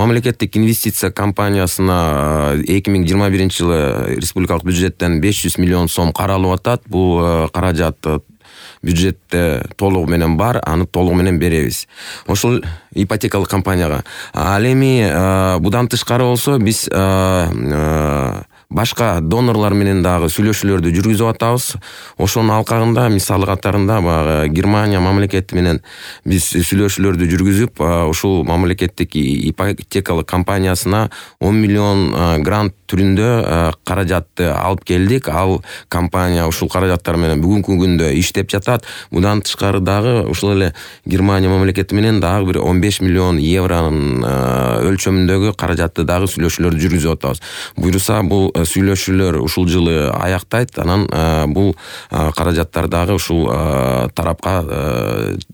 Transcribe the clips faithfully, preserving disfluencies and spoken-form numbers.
Мамлекеттик инвестиция компаниясына эки миң жыйырма биринчи жылы республикалык бюджеттен беш жүз миллион сом каралып атат. Бул каражат бюджетте толугу менен бар, аны толугу менен беребиз. Ошол ипотекалык компанияга. Ал эми будан тышкары болсо биз башка донорлор менен дагы сүйлөшүүлөрдү жүргүзүп атабыз. Ошонун алкагында мисалы катарында баягы Германия мамлекети менен биз сүйлөшүүлөрдү жүргүзүп, ушул мамлекеттик ипотекалык компаниясына он миллион грант түрүндө каражатты алып келдик. Ал компания ушул каражаттар менен бүгүнкү күндө иштеп жатат. Будан тышкары дагы ушул эле Германия мамлекети менен дагы бир он беш миллион евронун өлчөмүндөгү каражатты дагы сүйлөшүүлөрдү жүргүзүп атабыз. Буюрса бул сүйлөшүүлөр ушул жылы аяктайт. Анан бул каражаттар дагы ушул тарапка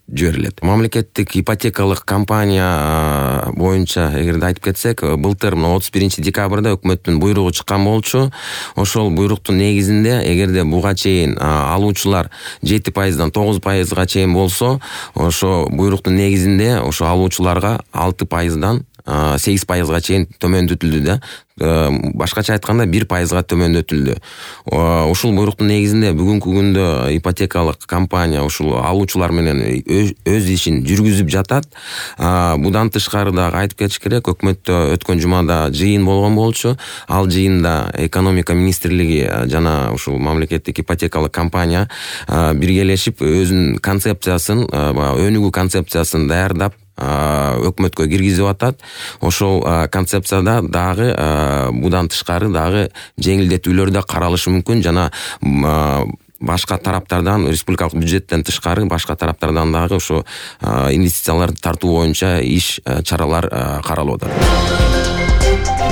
жиберилет. Мамлекеттик ипотекалык компания боюнча эгерде айтып кетсек, былтыр отуз биринчи декабрда өкмөттүн буйругу чыккан болчу. Ошол буйруктун негизинде эгерде буга чейин алуучулар жети пайыздан тогуз пайызга чейин болсо, ошо буйруктун негизинде ошо алуучуларга алты пайыздан сегиз пайызга чейин төмөндөтүлдү да. Башкача айтканда бир пайызга төмөндөтүлдү. Ушул буйруктун негизинде бүгүнкү күндө ипотекалык компания ушул алуучулар менен өз ишин жүргүзүп жатат. Будан тышкары дагы айтып кетиш керек, өкмөттө өткөн жумада жыйын болгон болчу. Ал жыйында экономика министрлиги жана ушул мамлекеттик ипотекалык компания биргелешип өзүнүн концепциясын, өнүгүү концепциясын даярдап өкмөткө киргизип атат. Ошол концепцияда дагы будан тышкары дагы жеңилдетүүлөр да каралышы мүмкүн, жана башка тараптардан, республикалык бюджеттен тышкары башка тараптардан дагы ошо инвестицияларды тартуу боюнча иш чаралар каралып атат.